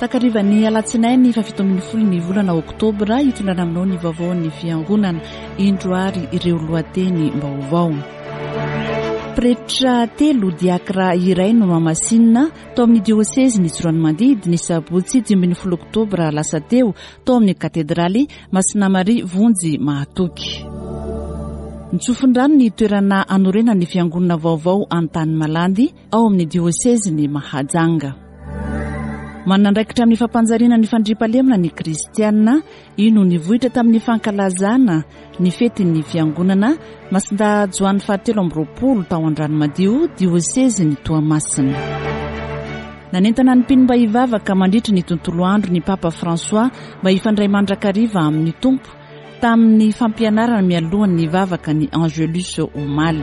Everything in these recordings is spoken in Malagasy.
Takarivan'ny alatsinainy faha 17 ny volana oktobra hitondrana aminao ny vaovaon'ny fiangonana. Indro ary ireo lohateny vaovao. Pretra telo, diakra iray no nohamasinina tao amin'ny diosezin'i Tsiroanomandidy ny sabotsy 15 oktobra lasa teo tao amin'ny katedraly Masina Maria Vonjy Mahatoky. Nitsofin-drano ny toerana hanorenana ny fiangonana vaovao Antanimalandy ao amin'ny diosezin'i Mahajanga. Manana andraikitra amin'ny fampanjariana ny fandriampahalemana ny kristiana. Io no nivoitra tamin'ny fankalazana ny fetin'ny fiangonana Masindahy Joany fahatelo amby 23 tao Andranomadio, diosezin'i Toamasina. Nanentana ny mpino mba hivavaka mandritry ny tontolo andro ny Papa François mba hifandray mandrakariva amin'ny Tompo tamin'ny fampianarana mialohan'ny vavaka ny Angelus omaly.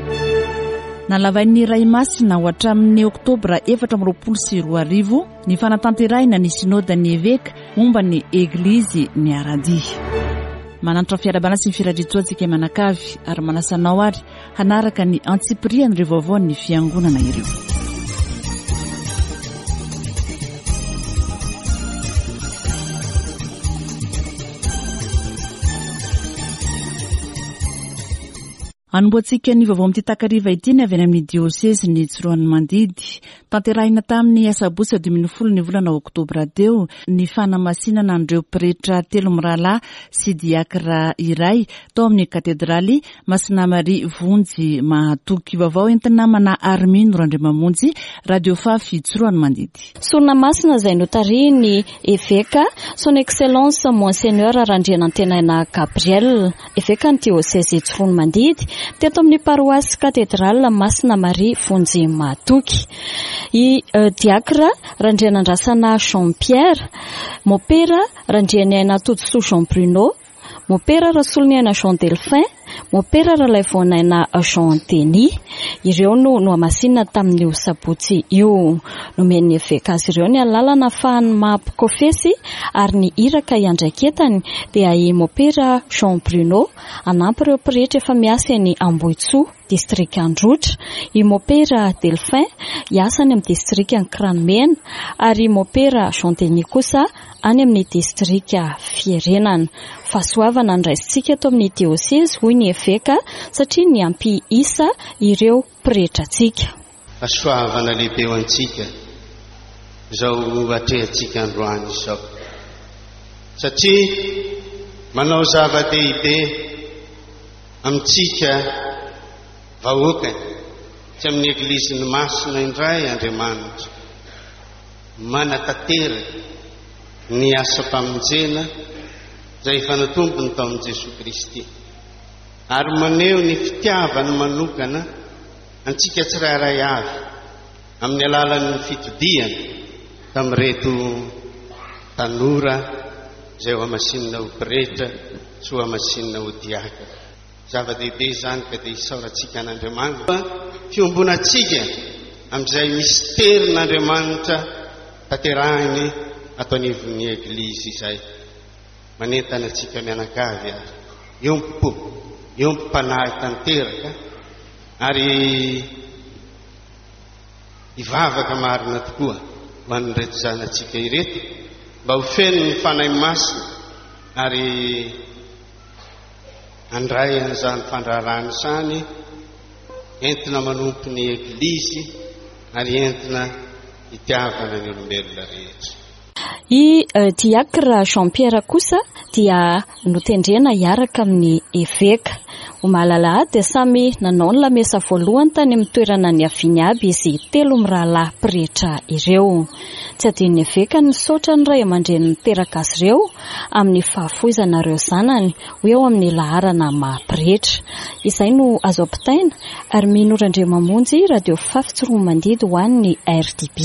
Nalavain'ny Ray Masina ho hatramin'ny Oktobra 2024 ny fanatanterahina ny Synodan'ny Eveka momba ny Eglizy Miara-dia. Manantitra fiarahabana sy ny firariantsoa antsika mianakavy ary manasa anao ary hanaraka ny antsipirian'ireo vaovaon'ny fiangonana ireo. Anombohantsika ny vaovao amin'ity takariva ity ny avy any amin'ny diosezin'i Tsiroanomandidy. Tanterahina tamin'ny asabotsy 15 ny volana oktobra teo ny fanamasinana an'ireo pretra telo mirahalahy sy diakra iray tao amin'ny katedraly Masina Maria Vonjy Mahatoky. Vaovao entin'ny namana Armino Randriamamonjy, Radio Fafy Tsiroanomandidy. Sorona masina izay notarihin'ny Eveka Son Excellence Monseigneur Randrianantenaina Gabriel, Evekan'ny Diosezy Tsiroanomandidy, teto amin'ny Paroasy Katedraly Masina Maria Vonjy Mahatoky. I Diakra Randrianandrasana Jean Pierre, Mopera Randrianiaina Todisoa Jean Bruno, Mopera Rasoloniaina Jean Delphin, Mopera Ralaivoanaina Jean Denis. Ireo no nohamasinina tamin'io sabotsy io. Nomen'ny eveka azy ireo ny alalana ahafahan'ny maha mpikofesy ary ny iraka iandraiketany dia i Mopera Jean Bruno hanampy ireo pretra efa miasa eny Ambohitsoa, distrika Androtra, i Mopera Delphin hiasa any amin'ny distrikan'i Kiranomena ary i Mopera Jean Denis kosa any amin'ny distrika Fierenana. Fahasoavana no raisintsika eto amin'ny diosezy, hoy ny eveka, satria niampy isa ireo pretrantsika. Fahasoavana lehibe ho antsika izao atrehantsika androany izao, satria manao zava-dehibe amintsika vahoakany sy amin'ny Egliziny Masina indray Andriamanitra. Manatanteraka ny asam-pamonjena izay efa natombony tao amin'i Jesoa Kristy, ary maneho ny fitiavany manokana antsika tsirairay avy amin'ny alalan'ny fitodihana tamin'ireto tanora izay hohamasinina ho pretra sy hohamasinina ho diakona. Zava-dehibe izany ka dia isaorantsika an'Andriamanitra fiombonantsika amin'izay misterin'Andriamanitra tanterahiny ato anivon'ny Eglizy izay. Manentana antsika mianakavy ary hiombom-po, hiombom-panahy tanteraka ary hivavaka marina tokoa ho an'ireto zanatsika ireto mba ho feno ny Fanahy Masina ary Handray an'izany fandraharahana izany entina manompo ny Eglizy ary entina hitiavana ny olombelona rehetra. I Diacre Jean Pierre kosa dia notendrena hiaraka amin'ny eveka. Omaly alahady dia samy nanao ny lamesa voalohany tany amin'ny toerana niaviany aby izy telo mirahalahy pretra ireo. Tsy adinon'ny eveka ny nisaotra ny ray aman-dreny niteraka azy ireo amin'ny fahafoizana ireo zanany ho eo amin'ny laharana maha pretra. Izay no azo ampitaina ary mino Randriamamonjy Radio Fafy Tsiroanomandidy ho an'ny RDB.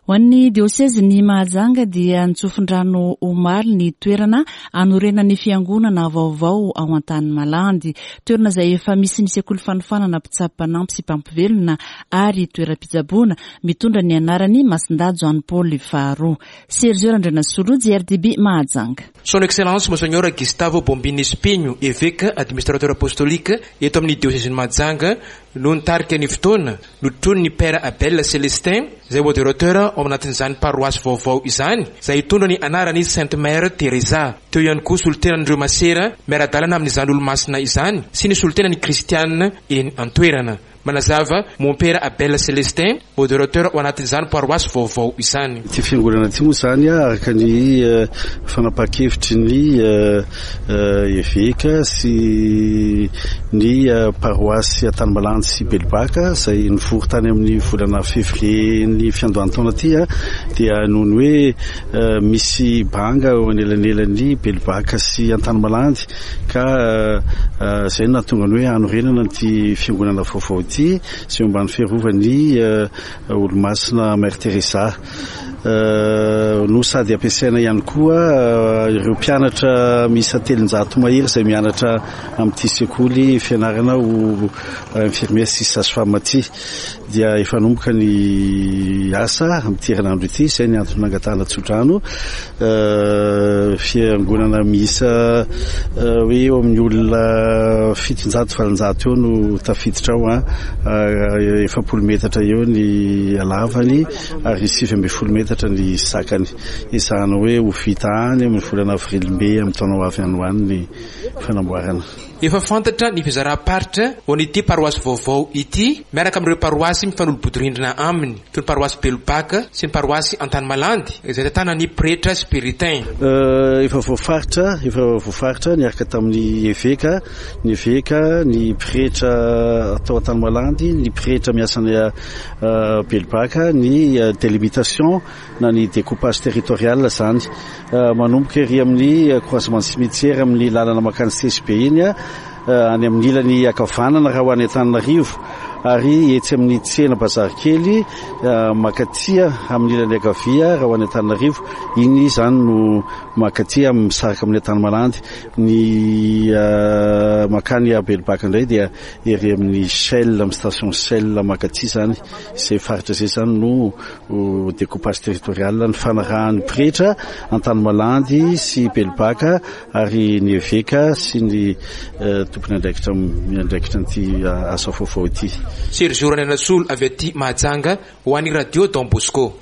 Ho Ho an'ny diosezin'i Mahajanga dia nitsofin-drano omaly ny toerana hanorenan'ny fiangonana vaovao ao Antanimalandy. Toerana izay efa misy ny sekoly fanofanana mpitsabo mpanampy sy mpampivelona ary toeram-pitsaboana mitondra ny anaran'i Masindahy Joany Paoly faharoa. Sergio Randrianasolo, JRDB Mahajanga. Son Excellence Monseigneur Gustavo Bombini Espinho, Eveka Administrateur Apostolique eto amin'ny Diosezin'i Mahajanga no nitarika ny fotoana, notronin'ny Père Abel Célestin, izay Modérateur ao anatin'izany paroasy vaovao izany, izay hitondra ny anaran'i Sainte Mère Teresa. Teo ihany koa solontenan'ireo masera miara-dalana amin'izany olomasina izany sy ny solontenan'ny kristiana eny an-toerana. Manazava Mompera Abel Célestin, Modérateur ao anatin'izany paroasy vaovao izany. Ity fiangonana ity moa izany araka ny fanapahan-kevitry ny eveka sy ny paroasy Antanimalandy sy Belobaka izay nivory tany amin'ny volana février ny fiandohan'ny taona ity dia noho ny hoe misy banga eo anelanelan'ny Belobaka sy Antanimalandy ka izay no nahatonga ny hoe hanorenana ity fiangonana vaovao ity izay eo ambany fiarovan'ny Olomasina Mère Teresa no sady ampiasaina ihany koa ireo mpianatra miisa 300 mahery izay mianatra amin'ity sekoly fianarana ho infirmière sy sage-femme ity dia efa nanomboka ny asa amin'ity herinandro ity izay ny antony nangatahana tsodrano Fiangonana miisa hoe eo amin'ny olona 700 800 eo no tafiditra ao an, 40 metatra eo ny halavany ary 19 metatra ny sakany. Ezahana hoe ho vita any amin'ny volana avril mey amin'ny taona ho avy any ho any ny fanamboarana. Efa fantatra ny fizaram-paritra ho an'ity paroasy vaovao ity miaraka amin'ireo paroasy mifanolo-bodirindrina aminy, toy ny paroasy Belobaka sy ny paroasy Antanimalandy izay tantanan'ny pretra Spiritain. Efa voafaritra, efa voafaritra niaraka tamin'ny eveka, ny eveka, ny pretra tao Antanimalandy, ny pretra miasa any Belobaka, ny délimitation na ny découpage territorial izany. Manomboka ery amin'ny croisement cimetière amin'ny lalana mankany CSB iny, any amin'ny ilany ankavanana raha ho any Antananarivo, ary etsy amin'ny tsena bazary kely mankaty amin'ny ilany ankavia raha ho any Antananarivo. Iny izany no mankaty misaraka amin'ny Antanimalandy. Ny mankany Belobaka indray dia ery amin'ny Shell, amin'ny station Shell mankaty izany. Izay faritra izay izany no découpage territorial nifanarahan'ny pretra Antanimalandy sy Belobaka ary ny eveka sy ny tompon'andraikitra miandraikitra an'ity asa vaovao ity. Sergio Randrianasolo avy aty Mahajanga ho an'ny Radio Don Bosco.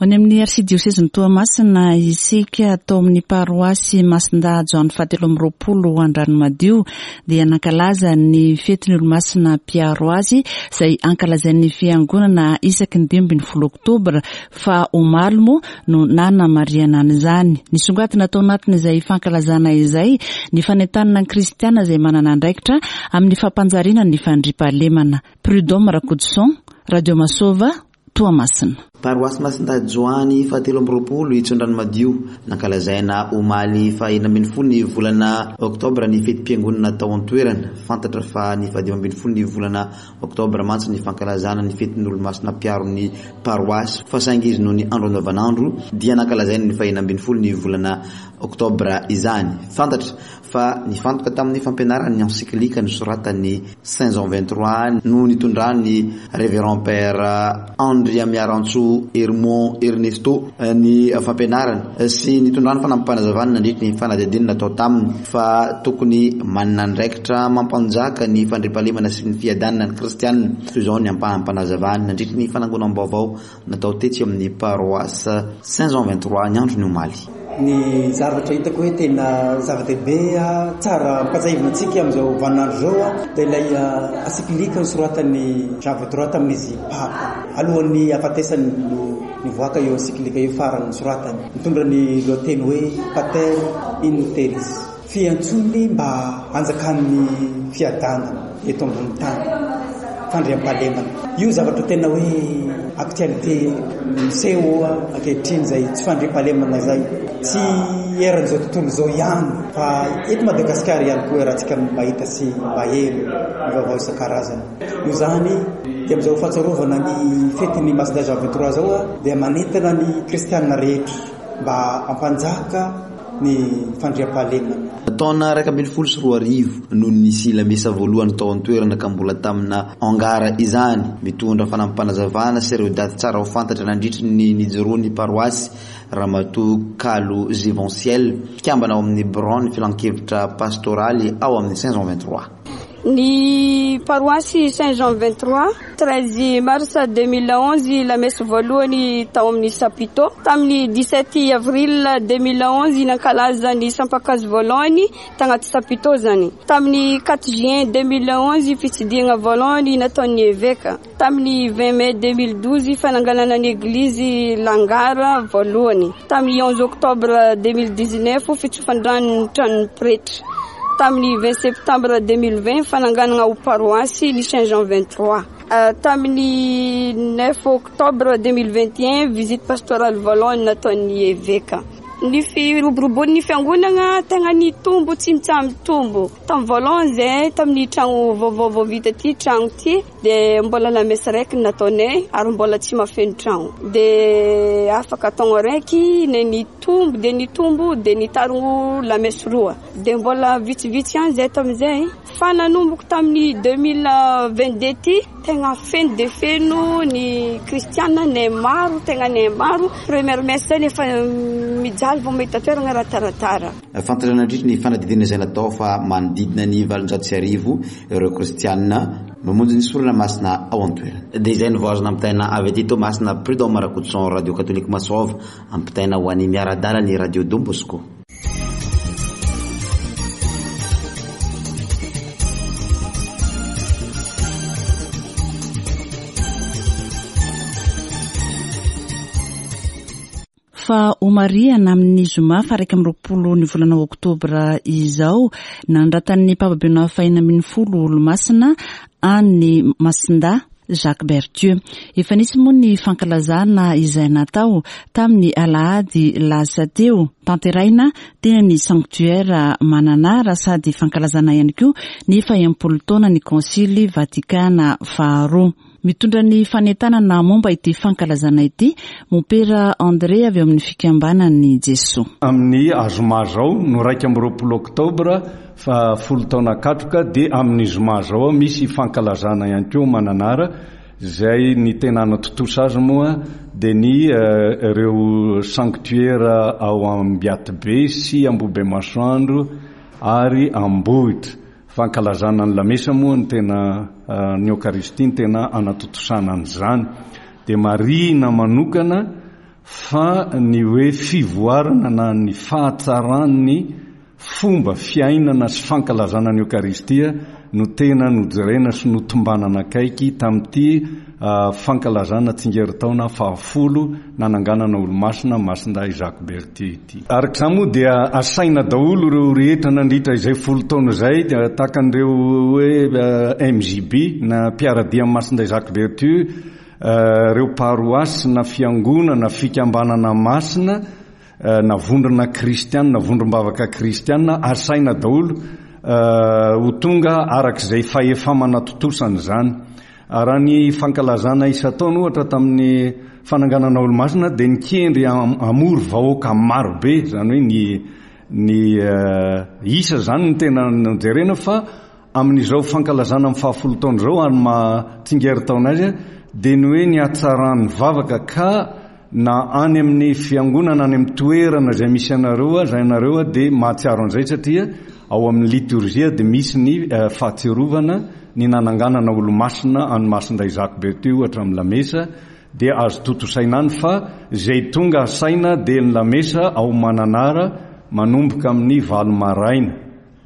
Any amin'ny Arsidiosezin'i Toamasina isika, tao amin'ny paroasy Masindahy Joany fahatelo amby roapolo Andranomadio dia nankalaza ny fetin'ny Olomasina mpiaro azy izay ankalazain'ny Fiangonana isaky ny 15 oktobra fa omaly moa no nanamarihana an'izany. Nisongadina tao anatin'izay fankalazana izay ny fanentanana ny kristiana izay manana andraikitra amin'ny fampanjariana ny fandriampahalemana. Prud'homme Rakotoson, Radio Masova, Toamasina. Paroasy Masindahy Joany fahatelo amby roapolo Itsondranomadio. Nankalazaina omaly faha-16 ny volana oktobra ny fetim-piangonana tao an-toerana. Fantatra fa ny faha-15 ny volana oktobra mantsy ny fankalazana ny fetin'ny Olomasina mpiaro ny paroasy fa saingy izy noho ny andro andavanandro dia nankalazaina ny faha-16 ny volana oktobra izany. Fantatra fa nifantoka tamin'ny fampianarana ny encyclique nosoratan'i Saint Jean 23 no nitondran'ny Révérend Père Andriamiarantsoa Hermon Ernesto ny fampianarana sy nitondrany fanampim-panazavana nandritry ny fanadihadiana natao taminy fa tokony manana andraikitra mampanjaka ny fandriampahalemana sy ny fiadanana ny kristianina. Toy izao ny ampaham-panazavany nandritry ny fanangonam-baovao natao tetsy amin'ny paroisse Saint Jean 23 ny andron'ny omaly. Ny zavatra hitako hoe tena zava-dehibe tsara ampatsahivina antsika amin'izao vaninandro izao dia ilay encyclique nosoratan'i Jean 23 tamin'izy Papa. Alohan'ny hahafatesany no nivoaka io encyclique io farany nosoratany. Mitondra ny lohateny hoe Pater in Terris. Fiantsoany mba hanjakan'ny fiadanana eto ambony tany, fandriampahalemana. Io zavatra tena hoe actualité miseho ankehitriny izay tsy fandriampahalemana izay. Tsy. eran'izao tontolo izao ihany fa eto Madagasikara ihany koa iarahantsika mahita sy maheno ny vaovao isan-karazany. Noho izany dia amin'izao fahatsiarovana ny fetin'ny Masindahy Jean 23 izao dia manentana ny kristianina rehetra mba hampanjaka ny fandriampahalemana. Taona 2011 no nisy lamesa voalohany tao an-toerana ka mbola tamina hangar izany. Mitondra fanampim-panazavana sy ireo daty tsara ho fantatra nandritry ny nijoroan'ny paroasy Ramatoa Kalo Givenciel, mpikambana ao amin'ny biraon'ny filankevitra pastoraly ao amin'ny Saint Jean 23. Ny paroasy Saint Jean 23, 13 mars 2011 lamesa voalohany tao amin'ny Chapiteau. Tamin'ny 17 avril 2011 nankalaza ny sampan-kazo voalohany tagnaty Chapiteau zany. Tamin'ny 4 juin 2011 fitsidihana voalohany nataon'ny eveka. Tamin'ny 20 mai 2012 fananganana ny eglizy Langara voalohany. Tamin'ny 11 octobre 2019 fitsofan-drano ny tranon'ny pretra. Tamin'ny 20 septembre 2020 fananganana ho paroasy ny Saint Jean 23. Tamin'ny 9 octobre 2021 visite pastorale voalohany nataon'ny eveka. Ny firoborobon'ny fiangonana tegna nitombo tsy mitsaha-mitombo. Tamin'ny voalohany zay tamin'ny tragno vaovao vao vita ty tragno ty dia mbola lamesa raiky no nataonay ary mbola tsy mahafeno tragno. Dia afaka taogno raiky ne nitombo dia nitombo dia nitarigno lamesa roa. Dia mbola vitsivitsy ihany zay tamin'izay fa nanomboka tamin'ny 2022 ty tegna feno dia feno ny kristiana nay maro tegna nay maro. Première messe zay efa mijaly vao mahita toerana raha taratara. Fantatra nandritry ny fanadihadiana izay natao fa manodidina ny 1800 ireo kristiana mamonjy ny sorona masina ao an-toerana. Dia izay no vao azo nampitaina avy aty Toamasina, Prud'homme Rakotoson, Radio Katolika Masova, ampitaina ho an'ny miara-dalana ny Radio Don Bosco. Fa homarihana amin'ny zoma faha 21 ny volana oktobra izao, nanoratan'ny Papa Benoît faha 16 Olomasina any Masindahy Jacques Berthieu. Efa nisy moa ny fankalazana izay natao tamin'ny alahady lasa teo, tanterahina teny amin'ny Sanctuaire Mananara sady fankalazana ihany koa ny faha-enimpolo taona ny Konsily Vatikana faharoa. Mitondra ny fanentanana momba ity fankalazana ity, Mompera André avy ao amin'ny Fikambanan'i Jesoa. Amin'ny zoma izao no 21 oktobra fa folo taona katroka dia amin'ny zoma izao misy fankalazana ihany koa Mananara izay ny tena hanatontosa azy moa dia ny ireo sanctuaire ao Ambiatibe sy Ambohibemasoandro ary Ambohitra. Fankalazana ny lamesa moa no tena ny Eokaristia no tena anatontosana an'izany. Dia marihina manokana fa ny hoe fivoarana na ny fahatsaran'ny fomba fiainana sy fankalazana ny Eokaristia no tena nojerena sy notombanana akaiky tamin'ity fankalazana tsingerin-taona fahafolo nananganana Olomasina Masindahy Jacques Berthier ity. Araka izany moa dia asaina daholo ireo rehetra nandritra izay folo taona izay tahaka an'ireo hoe MJB na mpiara-dia amin'i Masindahy Jacques Berthieu, ireo paroasy na fiangonana, fikambanana masina na vondrona kristiana, vondrom-bavaka kristiana, asaina daholo ho tonga araka izay fahefa-manatontosana izany. Raha ny fankalazana isan-taona ohatra tamin'ny fananganana olomasina dia nikendry hamory vahoaka maro be, izany hoe ny ny isa izany no tena nojerena fa amin'izao fankalazana amin'ny fahafolo taona izao ary maha tsingerin-taona azy dia ny hoe ny hatsaran'ny vavaka ka na any amin'ny fiangonana any amin'ny toerana izay misy anareo aza ianareo dia mahatsiaro an'izay satria ao amin'ny litorjia dia misy ny fahatsiarovana ny nananganana olomasina any Masindahy Jacques Berthieu ohatra amin'ny lamesa dia azo tontosaina any fa izay tonga asaina dia ny lamesa ao Mananara manomboka amin'ny valo maraina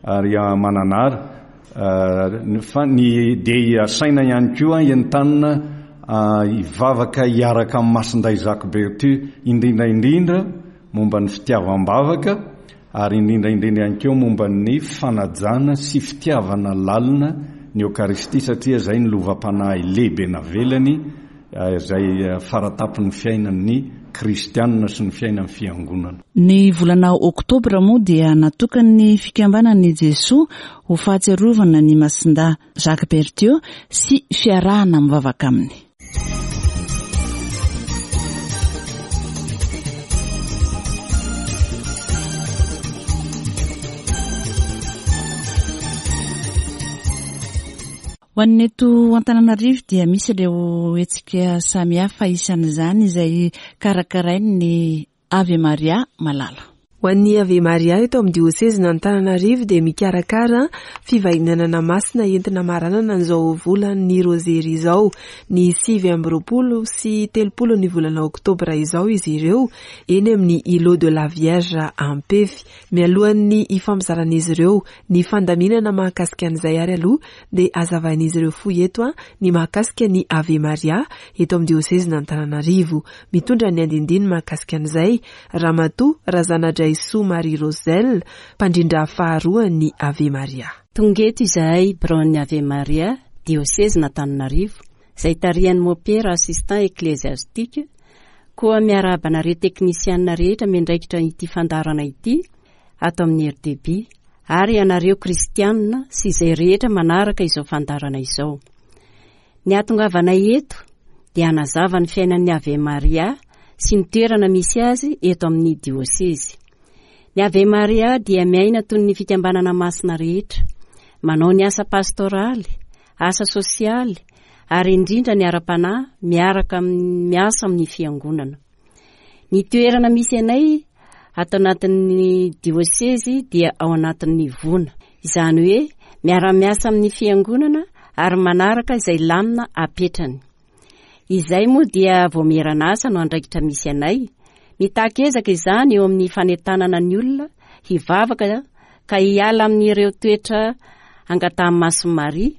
ary Mananara fa ny dia asaina ihany koa entanina hivavaka hiaraka amin'ny Masindahy Jacques Berthieu indrindra indrindra momba ny fitiavam-bavaka ary indrindra indrindra ihany koa momba ny fanajana sy fitiavana lalina ny Eokaristia satria izay ny lovam-panahy lehibe navelany izay faratapon'ny fiainan'ny. kristianina sy ny fiainan'ny fiangonana. Ny volana oktobra moa dia natokan'ny Fikambanan'i Jesoa ho fahatsiarovana ny Masindahy Jacques Berthieu sy fiarahana mivavaka aminy. Ho an'ny eto Antananarivo dia misy ireo hetsika samihafa isan'izany izay karakarain'ny Ave Maria Malala. Ho an'ny Ave Maria eto amin'ny diosezin'Antananarivo dia mikarakara fivahinanana masina entina hamaranana an'izao volan'ny Rozery izao. Ny 29 sy 30 ny volana oktobra izao izy ireo eny amin'ny Îlot de la Vierge Ampefy. Mialohan'ny hifampizaran'izy ireo ny fandaminana mahakasika an'izay ary aloha dia hazavain'izy ireo fohy eto ny mahakasika ny Ave Maria eto amin'ny diosezin'Antananarivo. Mitondra ny andinindiny mahakasika an'izay Ramatoa Razanadraisoa Marie Roselle, mpandrindra faharoa ny Ave Maria. Tonga eto izahay biraon'ny Ave Maria, diosezin'Antananarivo, izay tarihan'i Mompera Assistant Ecclésiastique, koa miarahaba anareo teknisianina rehetra miandraikitra ity fandaharana ity ato amin'ny RDB, ary ianareo kristianina sy izay rehetra manaraka izao fandaharana izao. Ny hahatongavanay eto dia hanazava ny fiainan'ny Ave Maria sy ny toerana misy azy eto amin'ny diosezy. Ny Ave Maria dia miaina toy ny fikambanana masina rehetra, manao ny asa pastoraly, asa sosialy ary indrindra ny ara-panahy miaraka miasa amin'ny fiangonana. Ny toerana misy anay ato anatin'ny diosezy dia ao anatin'ny vona. Izany hoe miara-miasa amin'ny fiangonana ary manaraka izay lamina apetrany. Izay moa dia vaomieran'asa no andraikitra misy anay. Mitaky ezaka izany eo amin'ny fanentanana ny olona hivavaka ka hiala amin'ireo toetra angatahan'i Masin'i Maria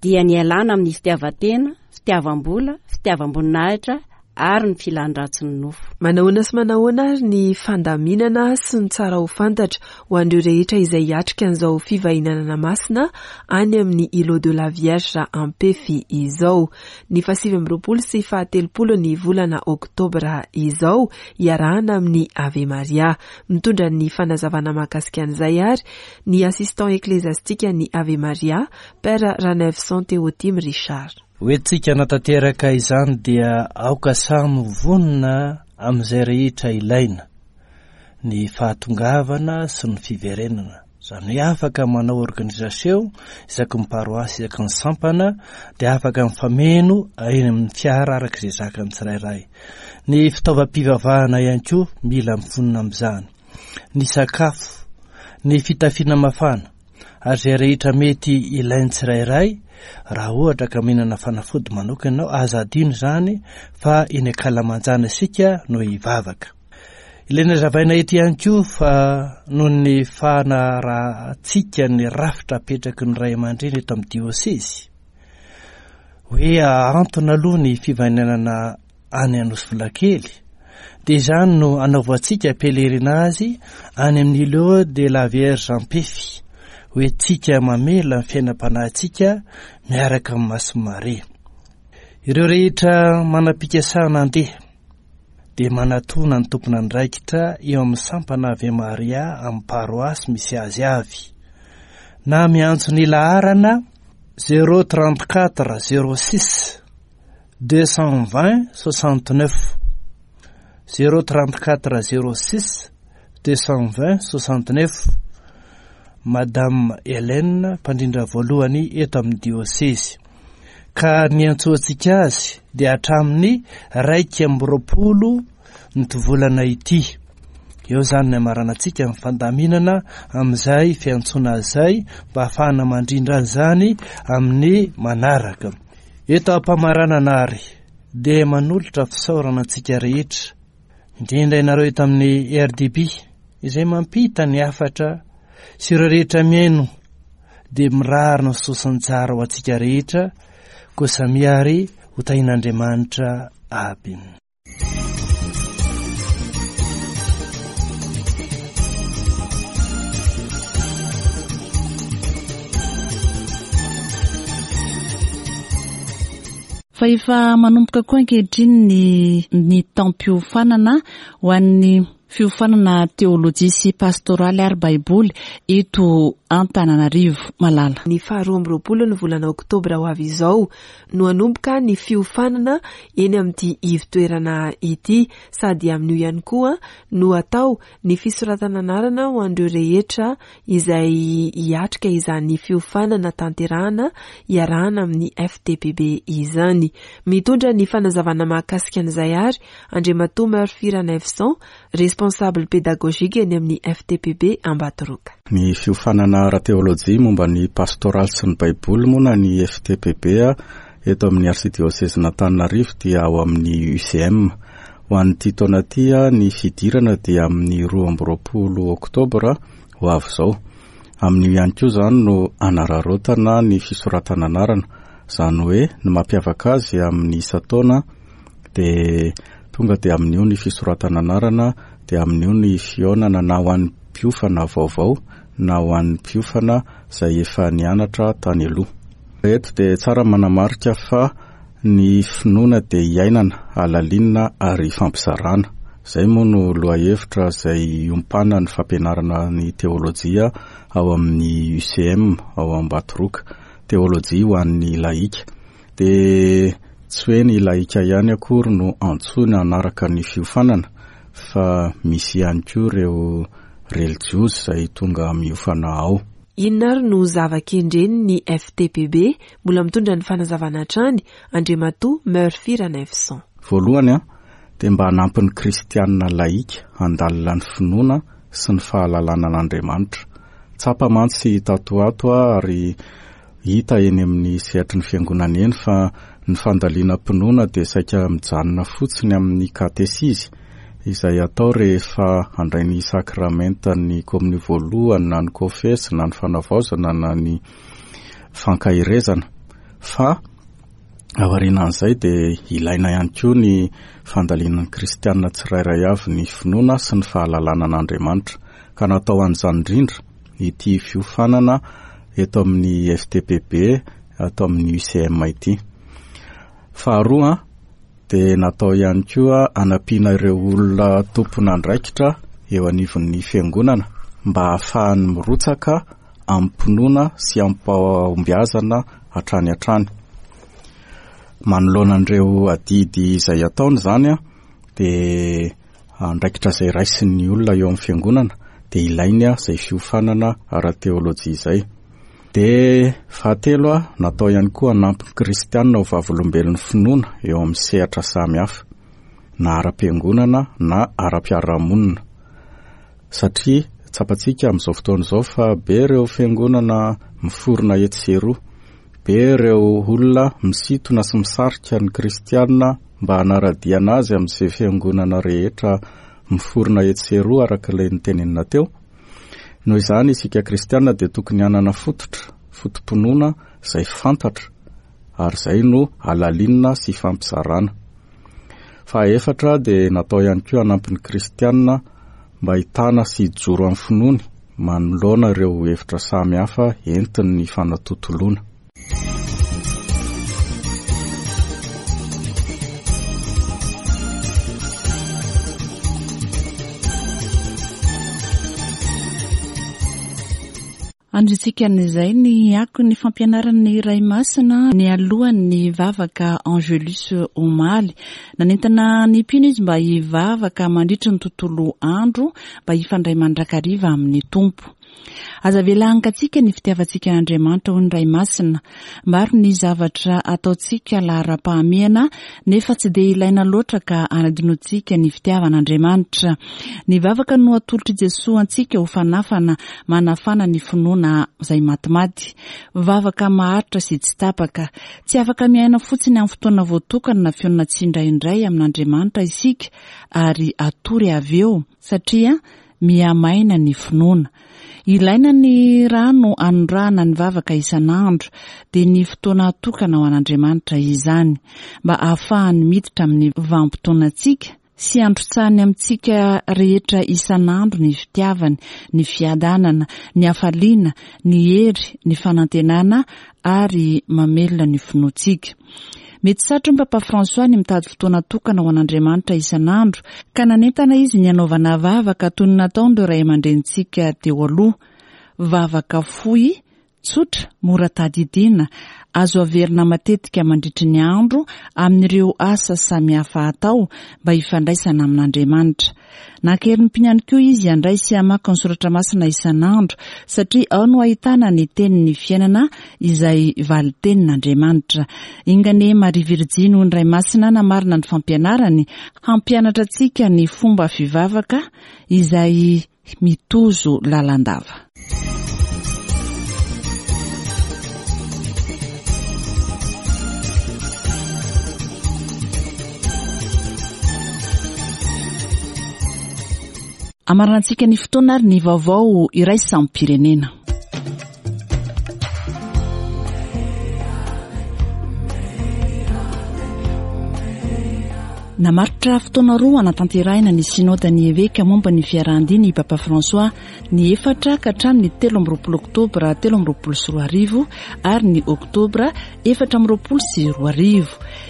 dia ny hialana amin'ny fitiavan-tena, fitiavam-bola, fitiavam-boninahitra ary ny filan-dratsin'ny nofo. Manahoana sy manahoana ary ny fandaminana sy ny tsara ho fantatra ho an'ireo rehetra izay hiatrika an'izao fivahinanana masina any amin'ny Îlot de la Vierge Ampefy izao. Ny faha-29 sy faha-telopolo ny volana oktobra izao, iarahana amin'ny Ave Maria. Mitondra ny fanazavana mahakasika an'izay ary ny Assistant Ecclésiastique ny Ave Maria, Père Ranaivoson Théotime Richard. Hoentintsika hanatanteraka izany dia aoka samy ho vonona amin'izay rehetra ilaina, ny fahatongavana sy ny fiverenana. Izany hoe afaka manao organisation isaky ny paroasy, isaky ny sampana dia afaka mifameno eny amin'ny fiara araka izay zakan'ny tsirairay. Ny fitaovam-pivavahana ihany koa mila mivonona amin'izany. Ny sakafo, ny fitafiana mafana. ary izay rehetra mety ilain'ny tsirairay, raha ohatra ka mihinana fanafody manokana ianao, aza adino izany fa eny ankalamanjana isika no hivavaka. Ilaina hazavaina eto ihany koa fa noho ny fanarahantsika ny rafitra apetraky ny ray aman-dreny eto amin'ny diosezy, hoe ahantona aloha ny fivainanana any Anosivolakely, dia izany no anaovantsika pèlerinage any amin'ny Îlot de la Vierge Ampefy, ho entintsika mamela ny fiainam-panahintsika miaraka amin'i Masin'i Maria. Ireo rehetra manam-pikasana handeha dia manatona ny tompon'andraikitra eo amin'ny sampana Ave Maria amin'ny paroasy misy azy avy, na miantso ny laharana 034 06 220 69 034 06 220 69 Madame Hélène mpandrindra voalohany eto amin'ny diosezy ka niantsoantsika azy dia hatramin'ny 21 nity volana ity eo izany ny amaranantsika ny fandaminana amin'izay fiantsoana azy izay mba hahafahana mandrindra an'izany amin'ny manaraka Eto am-pamaranana àry dia manolotra fisaorana antsika rehetra, indrindra ianareo eto amin'ny RDB izay mampita ny hafatra sy ireo rehetra mihaino dia mirary ny soa sy ny tsara ho antsika rehetra, koa samia àry ho tahian'Andriamanitra aby. Fa efa manomboka koa ankehitriny ny ny taom-piofanana ho an'ny fiofanana teolojia sy pastoraly ary baiboly eto Antananarivo. Malala. Ny faha 22 ny volana oktobra ho avy izao no hanomboka ny fiofanana eny amin'ity ivo-toerana ity sady amin'io ihany koa no atao ny fisoratana anarana ho an'ireo rehetra izay hiatrika izany fiofanana tanterahana iarahana amin'ny FTPB izany. Mitondra ny fanazavana mahakasika an'izay ary Andriamatoa Murphy Ranaivoson, Responsable pédagogique eny amin'ny FTPB Ambatoroka. Ny fiofanana ara-teolojia momba ny pastoraly sy ny Baiboly moa na ny FTPB eto amin'ny Arsidiosezin'Antananarivo dia ao amin'ny UCM. Ho an'ity taona ity, ny fidirana dia amin'ny 22 oktobra ho avy izao. Amin'io ihany koa izany no hanararaotana ny fisoratana anarana. Izany hoe ny mampiavaka azy amin'ny isan-taona dia tonga dia amin'io ny fisoratana anarana, dia amin'io ny fihaonana na ho an'ny mpiofana vaovao na ho an'ny mpiofana izay efa nianatra tany aloha. Eto dia tsara ny manamarika fa Ny finoana dia iainana, halalinina ary ifampizarana. Izay moa no lohahevitra izay iompanan'ny fampianarana ny teolojia ao amin'ny UCM ao Ambatoroka, teolojia ho an'ny lahika. Dia tsy hoe ny lahika ihany akory no antsoina hanaraka ny fiofanana fa misy ihany koa ireo relijiozy izay tonga miofana ao. Inona ary no zava-kendren'ny FTPB? Mbola mitondra ny fanazavana hatrany Andriamatoa Murphy Ranaivoson. Voalohany, dia mba hanampy ny kristianina lahika handalina ny finoana sy ny fahalalana an'Andriamanitra. Tsapa mantsy tato ho ato ary hita eny amin'ny sehatry ny fiangonana eny fa ny fandalinam-pinoana dia saika mijanona fotsiny amin'ny katesizy izay atao rehefa handray ny sakramentan'ny komonio voalohany na ny kofesy na ny fanavaozana na ny fankaherezana fa aorianan'izay dia ilaina ihany koa ny fandalinan'ny kristianina tsirairay avy ny finoana sy ny fahalalana an'Andriamanitra ka natao an'izany indrindra ity fiofanana eto amin'ny FTPB ato amin'ny UCM ity. Faharoa dia natao ihany koa hanampiana ireo olona tompon'andraikitra eo anivon'ny fiangonana mba hahafahany mirotsaka amim-pinoana sy amim-pahombiazana hatrany hatrany. Manoloana an'ireo adidy izay ataony izany dia andraikitra izay raisin'ny olona eo amin'ny fiangonana dia ilainy izay fiofanana ara-teolojia izay. Dia fahatelo, natao ihany koa hanampy ny kristianina ho vavolombelon'ny finoana eo amin'ny sehatra samihafa, na ara-piangonana na ara-piarahamonina. Satria tsapantsika amin'izao fotoana izao fa be ireo fiangonana miforona etsy sy eroa, be ireo olona misintona sy misarika ny kristiana mba hanara-dia an'azy amin'izay fiangonana rehetra miforona etsy sy eroa araka ilay notenenina teo. Noho izany isika kristiana dia tokony hanana fototra, foto-pinoana izay fantatra ary izay no halalinina sy ifampizarana. Fahaefatra dia natao ihany koa hanampy ny kristiana mba hitana sy hijoro amin'ny finoany manoloana ireo hevitra samy hafa entin'ny fanatontoloana. Andrintsika amin'izay ny akon'ny fampianaran'ny Ray Masina nialohan'ny vavaka Angelus omaly. Nanentana ny mpino izy mba hivavaka mandritry ny tontolo andro mba hifandray mandrakariva amin'ny Tompo. Aza avela hangatsiaka ny fitiavantsika an'Andriamanitra, hoy ny Ray Masina. Maro ny zavatra ataontsika laharam-pahamehana nefa tsy dia ilaina loatra ka anadinoantsika ny fitiavan'Andriamanitra. Ny vavaka no atolotr'i Jesoa antsika ho fanafana manafana ny finoana izay matimaty. Vavaka maharitra sy tsy tapaka. Tsy afaka miaina fotsiny amin'ny fotoana voatokana na fionona tsindraindray amin'Andriamanitra isika ary hatory avy eo satria Mihamaina ny finoana. Ilaina ny rano anondrahana ny vavaka isan'andro, dia ny fotoana atokana ho an'Andriamanitra izany, mba hahafahany miditra amin'ny vanim-potoanantsika. sy handrotsahany amintsika rehetra isan'andro ny fitiavany, ny fiadanana, ny hafaliana, ny hery, ny fanantenana ary mamelona ny finoantsika. Mety satrin'i Papa François ny mitady fotoana tokana ho an'Andriamanitra isan'andro, ka nanentana izy ny hanaovana vavaka toy ny nataon'ireo ray aman-drenintsika teo aloha. Vavaka fohy, Tsotra, mora tadidiana, azo averina matetika mandritry ny andro amin'ireo asa samihafa atao mba hifandraisana amin'Andriamanitra. Nankerim-piny ihany koa izy handray sy hamaky ny soratra masina isan'andro satria ao no ahitana ny tenin'ny fiainana izay valin-tenin'Andriamanitra. Enga anie Maria Virjiny ho ny Ray Masina namarina ny fampianarany hampianatra antsika ny fomba fivavaka izay mitozo lalandava. Amaranantsika ny fotoana ary ny vaovao iraisam-pirenena. Namaritra fotoana roa hanatanterahina ny Synodan'ny Eveka momba ny fiarahan-dia ny Papa François, ny efatra ka hatramin'ny 23 oktobra 2023 ary ny oktobra 2024.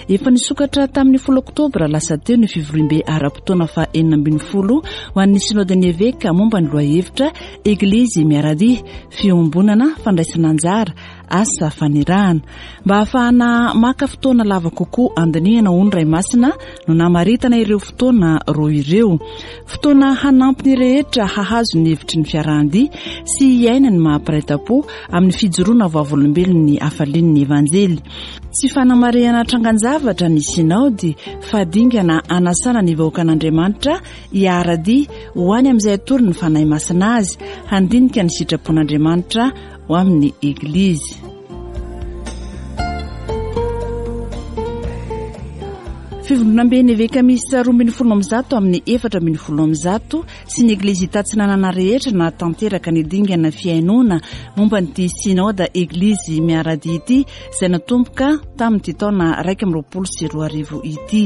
Efa nisokatra tamin'ny folo oktobra lasa teo ny fivoriambe ara-potoana faha 16 ho an'ny Synodan'ny Eveka momba ny lohahevitra Eglizy miara-dia, fiombonana, fandraisana anjara, asa fanirahana. Mba hahafahana maka fotoana lava kokoa handinihana hoy ny Ray Masina no namaritana ireo fotoana roa ireo. Fotoana hanampy ny rehetra hahazo ny hevitry ny fiarahan-dia sy hiaina ny maha mpiray tampo amin'ny fijoroana vavolombelon'ny hafalian'ny Evanjely. Tsy fanamarihana trangan-javatra ny Sinaody fa dingana hanasana ny vahoakan'Andriamanitra hiara-dia ho any amin'izay atoron'ny Fanahy Masina azy, handinika ny sitrapon'Andriamanitra ho amin'ny Eglizy. Fivondronamben'ny Eveka miisa 112 amin'ny 114 sy ny Eglizy Tatsinanana rehetra nahatanteraka ny dingana fihainoana momba an'ity Synoda Eglizy miara-dia ity izay natomboka tamin'ity taona 2021 ity.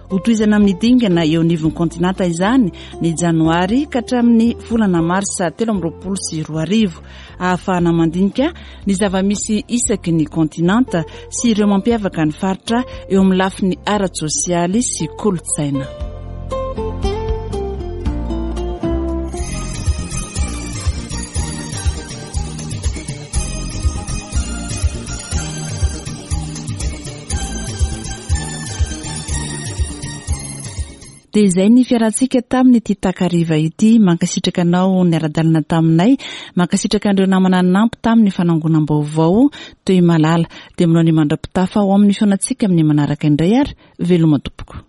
Hotohizana amin'ny dingana eo anivon'ny kontinanta izany ny janoary ka hatramin'ny volana marsa 2023, ahafahana mandinika ny zava-misy isaky ny kontinanta sy ireo mampiavaka ny faritra eo amin'ny lafiny ara-tsosialy sy kolontsaina. Dia izay ny fiarahantsika tamin'ity takariva ity. Mankasitraka anao niara-dalana taminay. Mankasitraka an'ireo namana nanampy tamin'ny fanangonam-baovao toy malala. Dia manao ny mandra-pitafa ho amin'ny fihaonantsika amin'ny manaraka indray ary veloma tompoko.